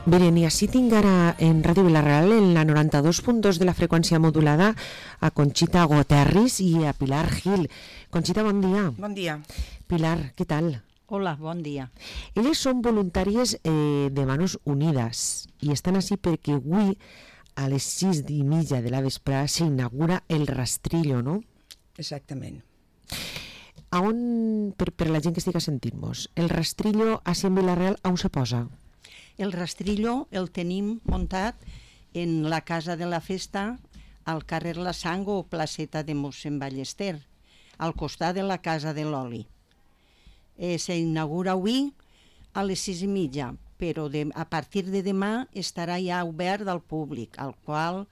Miren, i així tinc ara en Ràdio Vila-real, en la 92.2 de la freqüència modulada, a Conxita Guterres i a Pilar Gil. Conxita, bon dia. Bon dia. Pilar, què tal? Hola, bon dia. Elles són voluntàries de Manos Unides i estan així perquè avui a les 6:30 de la vesprada s'inaugura el rastrillo, no? Exactament. A on, per la gent que estigui sentint-nos, el rastrillo així en Vila-real, on se posa? El rastrillo el tenim muntat en la Casa de la Festa, al carrer La Sango o placeta de mossèn Ballester, al costat de la Casa de l'Oli. S'inaugura avui a les 6:30, però a partir de demà estarà ja obert al públic, al qual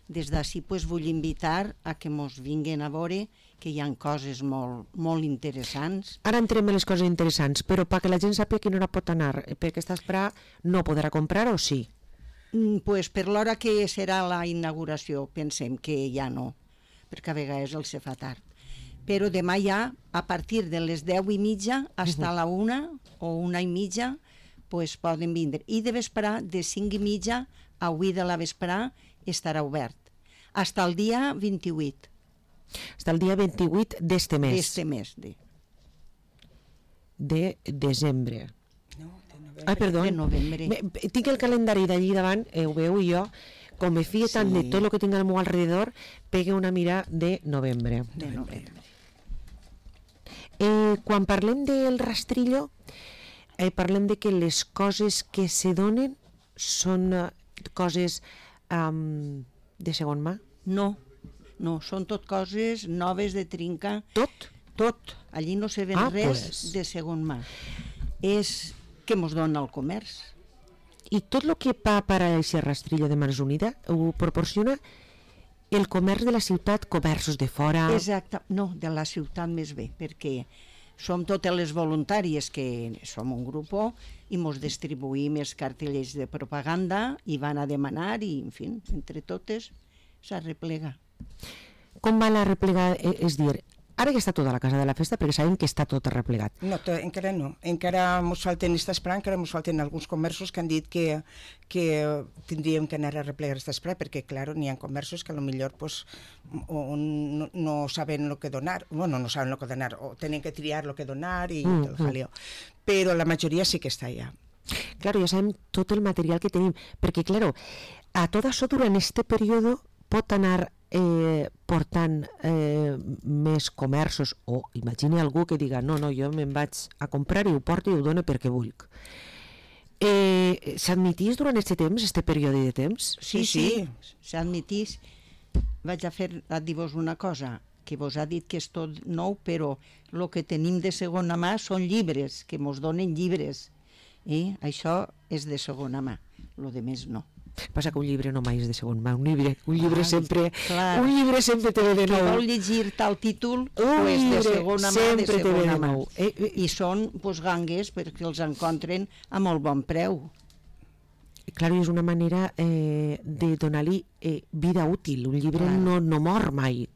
des d'ací vull invitar a que mos vinguin a veure que hi ha coses molt interessants. Ara entrem en les coses interessants, però perquè la gent sàpiga a quina hora pot anar, perquè aquesta vesprada no podrà comprar o sí? Pues per l'hora que serà la inauguració pensem que ja no, perquè a vegades els se fa tard. Però demà ja, a partir de les 10:30 fins a la 1 o 1:30, pues poden vindre. I de vesprà, de 5:30 a 8 de la vesprà, estarà obert. Fins al dia 28. Fins al dia 28 d'este mes. D'este mes. De desembre. No, de novembre. Ai, perdó. De novembre. Tinc el calendari d'allí davant, ho veu, i jo, com me fie tant de tot el que tinc al meu alrededor, pegue una mira de novembre. De novembre. Quan parlem del rastrillo, parlem de que les coses que se donen són coses de segon mà? No, són tot coses noves de trinca. Tot? Tot. Allí no se ven res de segon mà. És que mos dona el comerç. I tot el que va per a aquest rastrillo de Mans Unides ho proporciona el comerç de la ciutat, comerços de fora? Exacte, no, de la ciutat més bé, perquè som totes les voluntàries que som un grup i mos distribuïm els cartellers de propaganda i van a demanar i, en fi, entre totes s'arreplega. Com va la replegada? És dir, ara ja està tota la Casa de la Festa perquè sabem que està tot arreplegat. No, encara no. Encara ens falten, encara ens falten alguns comerços que han dit que tindríem que anar a replegar esta esperada perquè, clar, n'hi ha comerços que potser pues, no saben el que donar, bueno, no saben el que donar, o tenen que triar el que donar i el jaleo. Però la majoria sí que està allà. Claro, ja sabem tot el material que tenim, perquè, claro, a tot això durant este període pot anar portant més comerços, o imagini algú que diga no, jo me'n vaig a comprar i ho porto i ho dono perquè vull. S'admitís durant aquest temps, aquest període de temps? Sí, s'admitís. Vaig a dir-vos una cosa, que vos ha dit que és tot nou, però el que tenim de segona mà són llibres, que mos donen llibres. I això és de segona mà, el de més no. Passa que un llibre no mai és de segon mà, un llibre sempre te ve de nou. Que vol llegir tal títol, pues de segona mà, de segona mà. I són gangues perquè els encontren a molt bon preu. Clar, és una manera de donar-li vida útil, un llibre no mor mai.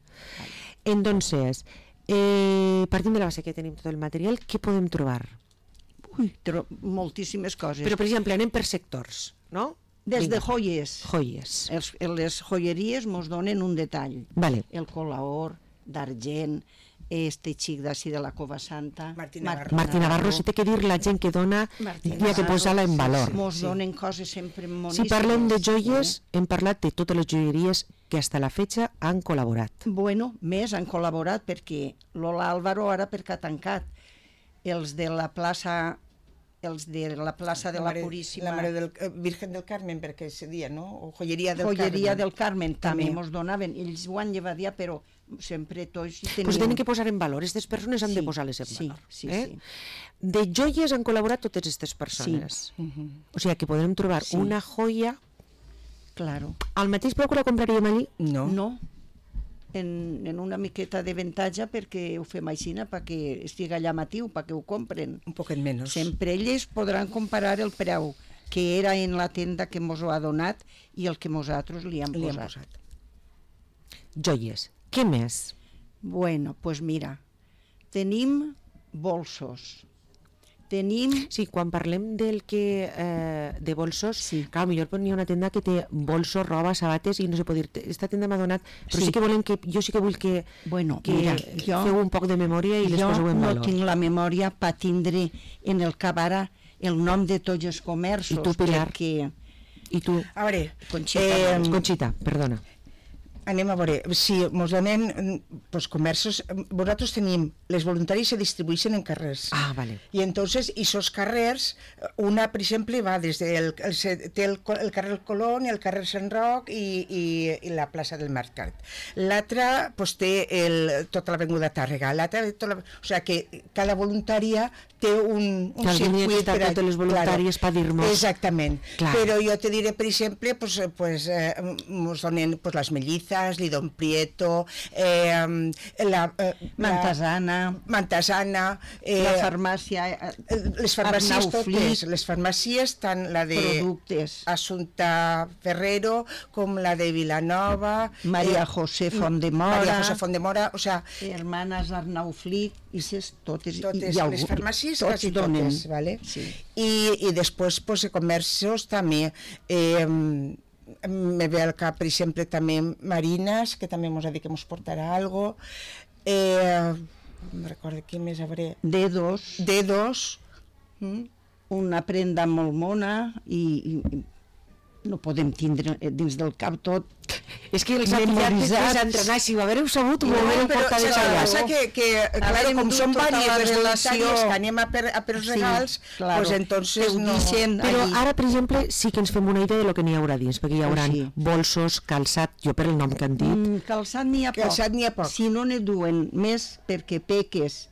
Entonces, partint de la base que tenim tot el material, què podem trobar? Moltíssimes coses. Però, per exemple, anem per sectors, no? Des de joies. Les joieries mos donen un detall. Vale. El colaor d'argent, este xic d'ací de la Cova Santa. Martí Navarro, si té que dir la gent que dona, hi ha que posar-la en valor. Mos donen coses sempre moníssimes. Si parlem de joies, hem parlat de totes les joieries que hasta la fetge han col·laborat. Bueno, més han col·laborat perquè Lola Álvaro ara perquè ha tancat. Els de la plaça de la Puríssima, la Mare del Virgen del Carmen, perquè se dia, no? O Joieria del Carmen també mos donaven. Ells ho han llevat ja, però sempre tots hi tenien. Pues tenen que posar en valor, aquestes persones han de posar-les en valor. Sí. De joies han col·laborat totes aquestes persones. O sigui que podrem trobar una joia. Claro. Al mateix preu que la compraríem allí? No. En una miqueta d'avantatge perquè ho fem així perquè estigui allà matiu, perquè ho compren un poquet menys. Sempre ells podran comparar el preu que era en la tenda que mos ho ha donat i el que nosaltres li hem posat. Joies, què més? Bueno, pues mira, tenim bolsos Tenim... Sí, quan parlem del que de bolsos, Sí. clar, millor n'hi ha una tenda que té bolsos, roba, sabates i no sé pot dir, esta tenda m'ha donat, però sí que volen que, jo sí que vull que, Bueno, que mira, feu un poc de memòria i les jo poseu en no valor. tinc la memòria per tindre en el cap ara el nom de tots els comerços. I tu, Pilar? Perquè... I tu, A veure, Conxita, perdona. anem a veure, si ens donem pues, comerços, nosaltres tenim, les voluntaris se distribueixen en carrers. Ah, vale. I entonces, esos carrers, una, per exemple, va des del té el carrer Colón i el carrer Sant Roc i la plaça del Mercat. L'altra pues, té tota l'avinguda Tàrrega. L'altra, o sigui que cada voluntària té un circuit per a totes les voluntàries per dir-nos. Exactament. Clar. Però jo te diré, per exemple, ens donen pues, les mellizas, l'Idon Prieto, Mantasana, la farmàcia, les farmàcies Arnau totes, Flic, les farmàcies, tant la de productes. Assumpta Ferrero com la de Vilanova, Maria José Fondemora, Maria José Fondemora, o sea, Hermanes Arnau Flic, i totes les farmàcies quasi totes, ¿vale? Sí. I després pues, comerços també, me ve al cap, per exemple, també Marinas, que també ens ha dit que ens portarà algo, no recordo què més hauré, Dedos, una prenda molt mona i no podem tindre dins del cap tot. És que els ha pillat després d'entrenar, si ho haguéreu sabut, ho haguéreu portat de passa que clar, com són diverses les voluntàries que anem a per els regals, pues entonces no... Però ara, per exemple, sí que ens fem una idea de lo que n'hi haurà dins, perquè hi haurà bolsos, calçat, jo per el nom que han dit. Calçat n'hi ha poc. Si no ne duen més perquè Peques,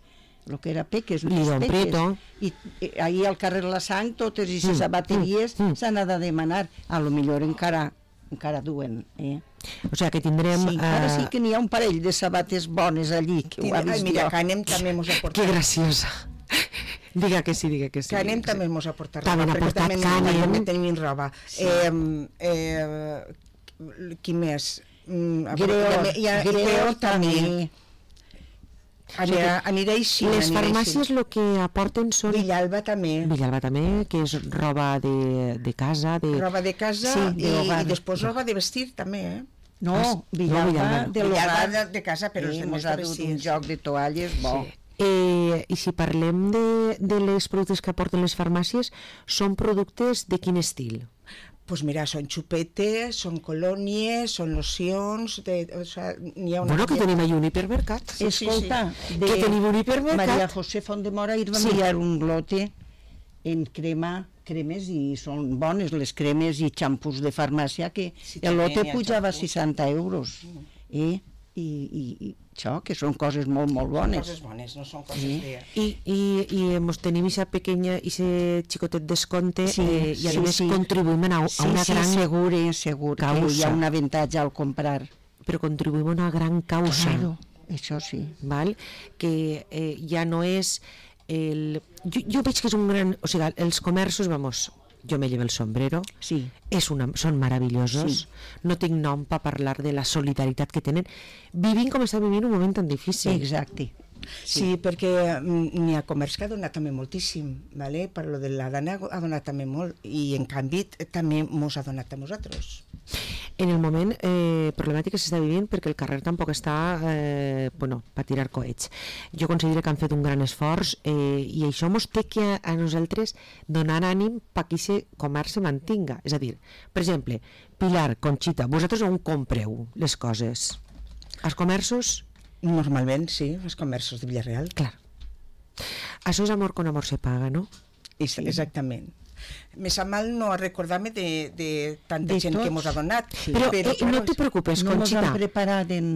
el que era Peques, L'Idon Prieto. I ahir al carrer La Sang, totes aquestes sabateries s'han de demanar. A lo millor encara duen, O sigui que tindrem... Sí, ara sí que n'hi ha un parell de sabates bones allí, que ho ha vist mira, jo. Canem també mos ha portat. Que graciosa. Diga que sí. Canem també mos ha portat roba. També n'ha portat Canem. També tenim roba. Qui més? Greo també. Aniré així. Les farmàcies el que aporten són... Villalba també, que és roba de casa. Roba de casa i després roba de vestir també, No, Villalba de casa, però els ens demés ha de dut vestir. un joc de toalles bo. I si parlem de les productes que aporten les farmàcies, són productes de quin estil? Pues mira, són xupetes, són colònies, són locions, o sea, n'hi ha una... Bueno, que tenim ahí un hipermercat. Escolta, que tenim un hipermercat. Maria José Fondemora va enviar un lote en cremes i són bones les cremes i xampús de farmàcia que el lote pujava 60 euros. I això, que són coses molt, molt bones. Coses bones, no són coses de... I tenim aquesta pequeña, aquest xicotet descompte i a més contribuïm a una gran segur causa. Que hi ha un avantatge al comprar. Però contribuïm a una gran causa. Claro, això sí. Val? Que ja no és... Jo veig que és un gran... O sigui, els comerços, jo me llevo el sombrero, són meravellosos, no tinc nom per parlar de la solidaritat que tenen, vivint com està vivint un moment tan difícil. Exacte. Sí, perquè n'hi ha comerç que ha donat també moltíssim, ¿vale? Per lo de la dana ha donat també molt, i en canvi també mos ha donat a nosaltres. En el moment problemàtic que s'està vivint, perquè el carrer tampoc està per tirar coets. Jo considero que han fet un gran esforç i això mos té que a nosaltres donar ànim perquè aquest comerç se mantinga. És a dir, per exemple, Pilar, Conxita, vosaltres on compreu les coses? Els comerços? Normalment, sí, els comerços de Villarreal. Clar. Això és amor con amor se paga, no? Exactament. Me sap mal no recordar-me de tanta gent que mos ha donat. Però no te preocupes, Conxita. No mos han preparat en...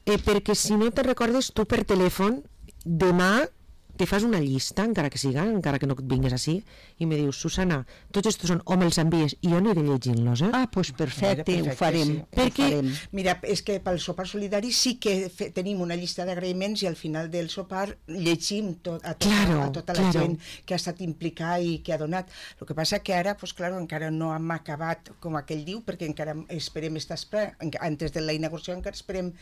Perquè si no te recordes, tu per telèfon, demà te fas una llista, encara que no et vingues així, i me dius, Susana, tots estos són, o me'ls envies, i jo aniré llegint-los, Ah, doncs perfecte, ho farem. Perquè, mira, és que pel sopar solidari sí que tenim una llista d'agraïments i al final del sopar llegim a tota la gent que ha estat implicada i que ha donat. El que passa que ara, encara no hem acabat, com aquell diu, perquè encara esperem antes de la inauguració encara esperem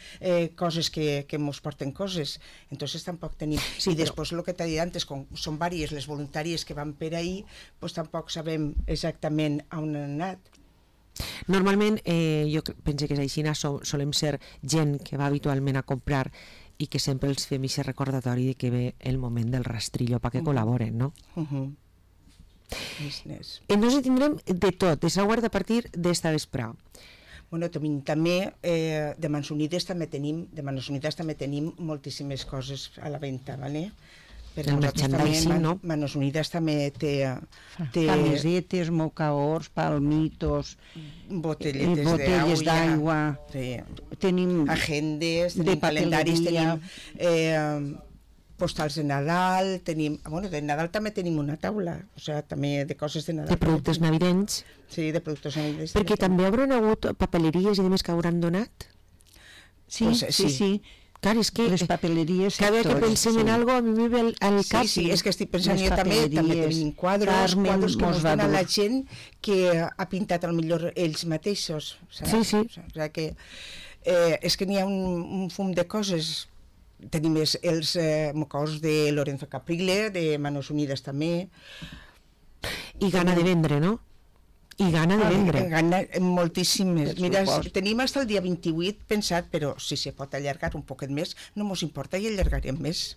coses que ens porten coses. Entonces tampoc tenim. I després el que t'ha dit antes, com són vàries les voluntàries que van per ahir, doncs tampoc sabem exactament on han anat. Normalment, jo penso que és així, solem ser gent que va habitualment a comprar i que sempre els fem aquest recordatori de que ve el moment del rastrillo perquè col·laboren, no? Entonces tindrem de tot, de Sauard a partir d'esta vespre. Bueno, també de Mans Unides també tenim moltíssimes coses a la venda, ¿vale? El merchandising, no? Mans Unides també té camisetes, mocaors, palmitos, botelles d'aigua, tenim agendes, tenim calendaris, tenim postals de Nadal, de Nadal també tenim una taula, o sigui, també de coses de Nadal. De productes navideños. Sí, de productes navideños. Perquè també hauran hagut papeleries i demés que hauran donat? Sí. Clar, és que les papeleries... Cada que pensem en algo a mi me ve al cap. Sí, és que estic pensant jo també tenim quadros que ens donen la gent que ha pintat millor ells mateixos. Sí. O sigui que és que n'hi ha un fum de coses. Tenim els mocaors de Lorenzo Caprile, de Manos Unides també. I gana de vendre, no? I gana de vendre. Gana moltíssimes. Mira, tenim fins el dia 28 pensat, però si se pot allargar un poquet més, no mos importa i allargarem més.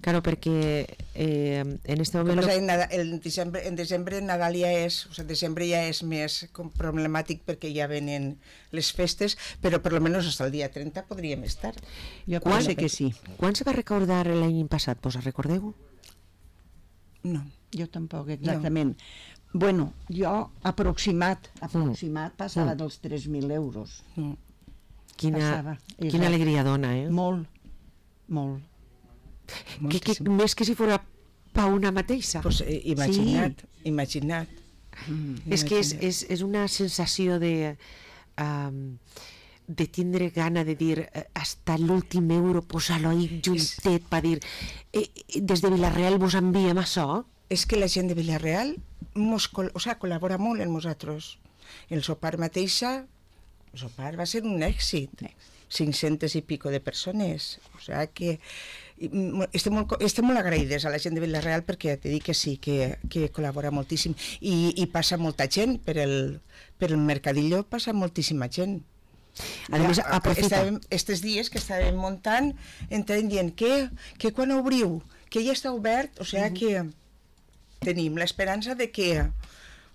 Claro, perquè en este moment... En desembre Nadal ja és, o sigui, desembre ja és més problemàtic perquè ja venen les festes, però per almenys fins al dia 30 podríem estar. Jo penso que sí. Quan se va recordar l'any passat? Vos recordeu? No, jo tampoc, exactament. Bueno, jo aproximat passava dels 3.000 euros. Quina alegria dona, eh? Molt. Més que si fos pa una mateixa. Pues imagina't. És que és una sensació de tindre gana de dir hasta l'últim euro posar-lo ahí juntet per dir des de Vilareal vos enviem això. És que la gent de Vilareal col·labora molt amb nosaltres. El sopar mateixa, el sopar va ser un èxit. 500 i pico de persones. O sigui que estem molt agraïdes a la gent de Vilareal perquè te dic que sí, que col·labora moltíssim. I passa molta gent per el mercadillo, passa moltíssima gent. A més, estos dies que estàvem muntant entrant dient que quan obriu, que ja està obert, o sigui que tenim l'esperança de que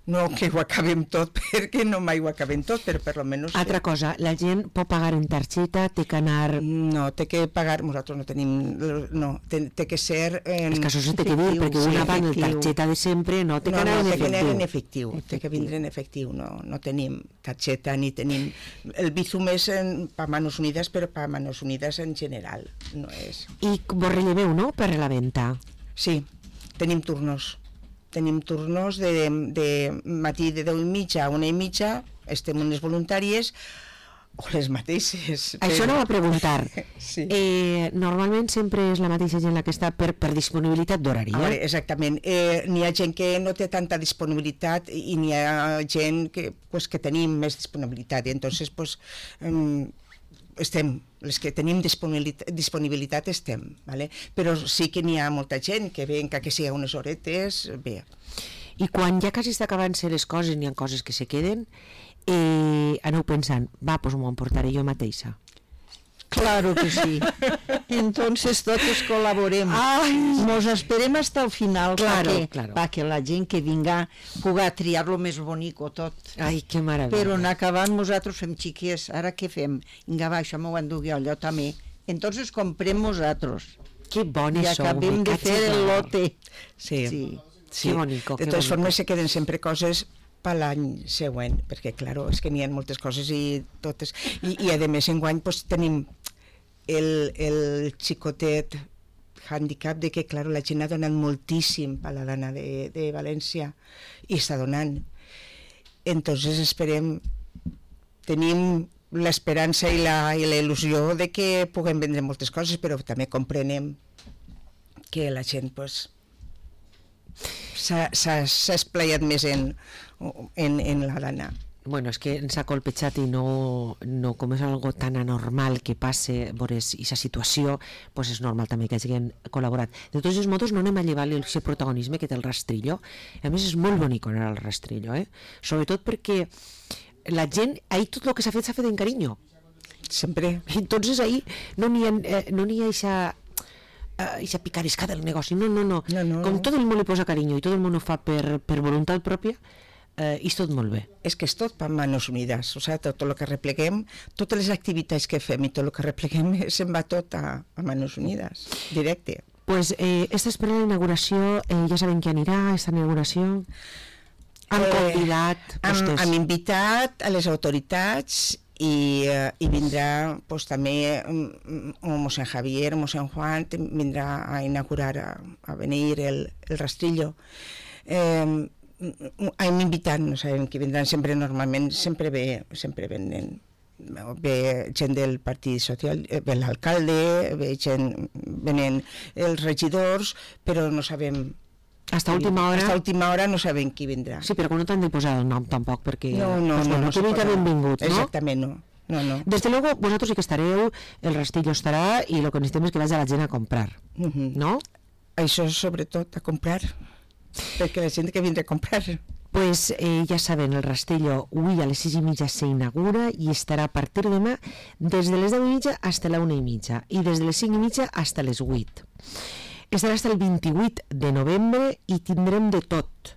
no que ho acabem tot, perquè no mai ho acabem tot, però per almenys... Altra cosa, la gent pot pagar en targeta, té que anar... No, té que pagar, nosaltres no tenim... No, té que ser... És que això se té que dir, perquè una va en targeta de sempre, no té que anar en efectiu. No, té que anar en efectiu, té que vindre en efectiu, no tenim targeta ni tenim... El Bizum és per Manos Unides, però per Manos Unides en general, no és... I vos relleveu, no?, per la venda? Sí, tenim turnos. Tenim turnos de matí de 10:30 a 1:30, estem unes voluntàries o les mateixes. Això no va preguntar. Sí. Normalment sempre és la mateixa gent la que està per disponibilitat d'horari. Exactament. N'hi ha gent que no té tanta disponibilitat i n'hi ha gent que tenim més disponibilitat. I entonces, estem, les que tenim disponibilitat estem, ¿vale? Però sí que n'hi ha molta gent que ve, encara que sigui unes horetes, bé. I quan ja quasi està acabant-se les coses, n'hi ha coses que se queden, aneu pensant, doncs m'ho emportaré jo mateixa. Claro que sí. Entonces todos colaboremos. Nos esperem hasta el final para que la gent que vinga puga triar lo més bonico tot. Ai, que meravella. Però en acabant nosaltres fem xiquies, ara què fem? Vinga, va, això m'ho endugui allò també. Entonces comprem nosaltres. Que bones sou. I acabem de fer el lote. Sí. Que bonico. De totes formes se queden sempre coses per l'any següent, perquè, clar, és que n'hi ha moltes coses i totes. I a més, enguany tenim el xicotet handicap de que, clar, la gent ha donat moltíssim a la dona de València i està donant. Entonces esperem, tenim l'esperança i la il·lusió de que puguem vendre moltes coses, però també comprenem que la gent s'ha esplaiat més en la dana. Bueno, és que ens ha colpejat i no, com és algo tan anormal que passe veures aquesta situació, pues és normal també que hagin col·laborat. De tots els modos, no anem a llevar-li el protagonisme que té el Rastrillo. A més, és molt bonic anar al Rastrillo, sobretot perquè la gent, ahir tot el que s'ha fet en carinyo. Sempre. Entonces ahí no n'hi ha eixa picaresca del negoci, no. Com tot el món li posa carinyo i tot el món ho fa per voluntat pròpia, és tot molt bé. És que és tot per Manos Unides, o sigui, tot el que repleguem, totes les activitats que fem i tot el que repleguem se'n va tot a Manos Unides, directe. Pues esta espera la inauguració, ja sabem qui anirà, aquesta inauguració. Han convidat vostès. Hem invitat a les autoritats i vindrà pues, també mossèn Javier, mossèn Juan, vindrà a inaugurar, a venir el Rastrillo. Hem invitat, no sabem qui vindran, normalment sempre venen. Ve gent del Partit Social, ve l'alcalde, venen els regidors, però no sabem. Hasta última hora no sabem qui vindrà. Sí, però no t'han de posar el nom tampoc, perquè... No, que benvingut, no? Exactament, no. Desde luego, vosaltres sí que estareu, el Rastrillo estarà, i el que necessitem és que vagi la gent a comprar, no? Això és sobretot a comprar, perquè la gent que vindrà a comprar. Pues ja saben, el Rastrillo avui a les 6:30 s'inaugura i estarà a partir de demà des de les 10:30 fins a la 1:30 i des de les 5:30 fins a les 8. Estarà fins al 28 de novembre i tindrem de tot.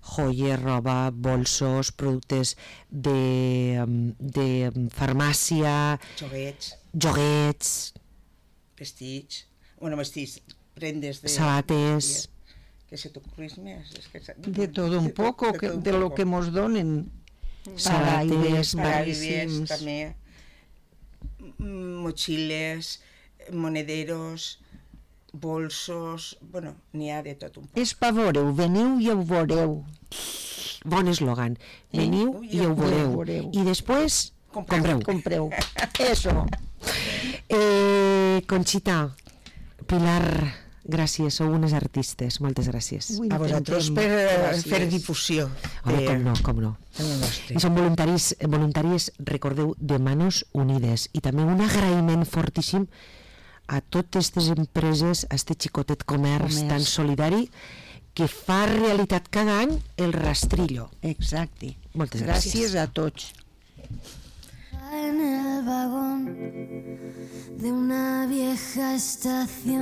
Joies, roba, bolsos, productes de farmàcia... Joguets... Vestits, prendes de... Sabates... ¿Qué se te ocurre más? De todo un poco, de lo que nos donen. Sabates, paraibes, també, mochiles, monederos, bolsos, bueno, n'hi ha de tot un poc. És pa veureu, veniu i ho veureu. Bon eslògan, veniu i ho veureu. I després, compreu. Eso. Conxita, Pilar, gràcies, sou unes artistes, moltes gràcies. A vosaltres per fer difusió. Com no. I són voluntàries, recordeu, de Manos Unides. I també un agraïment fortíssim a totes aquestes empreses, a este xicotet comerç tan solidari que fa realitat cada any el Rastrillo. Exacte. Moltes gràcies. Gràcies a tots. En el vagón de una vieja estación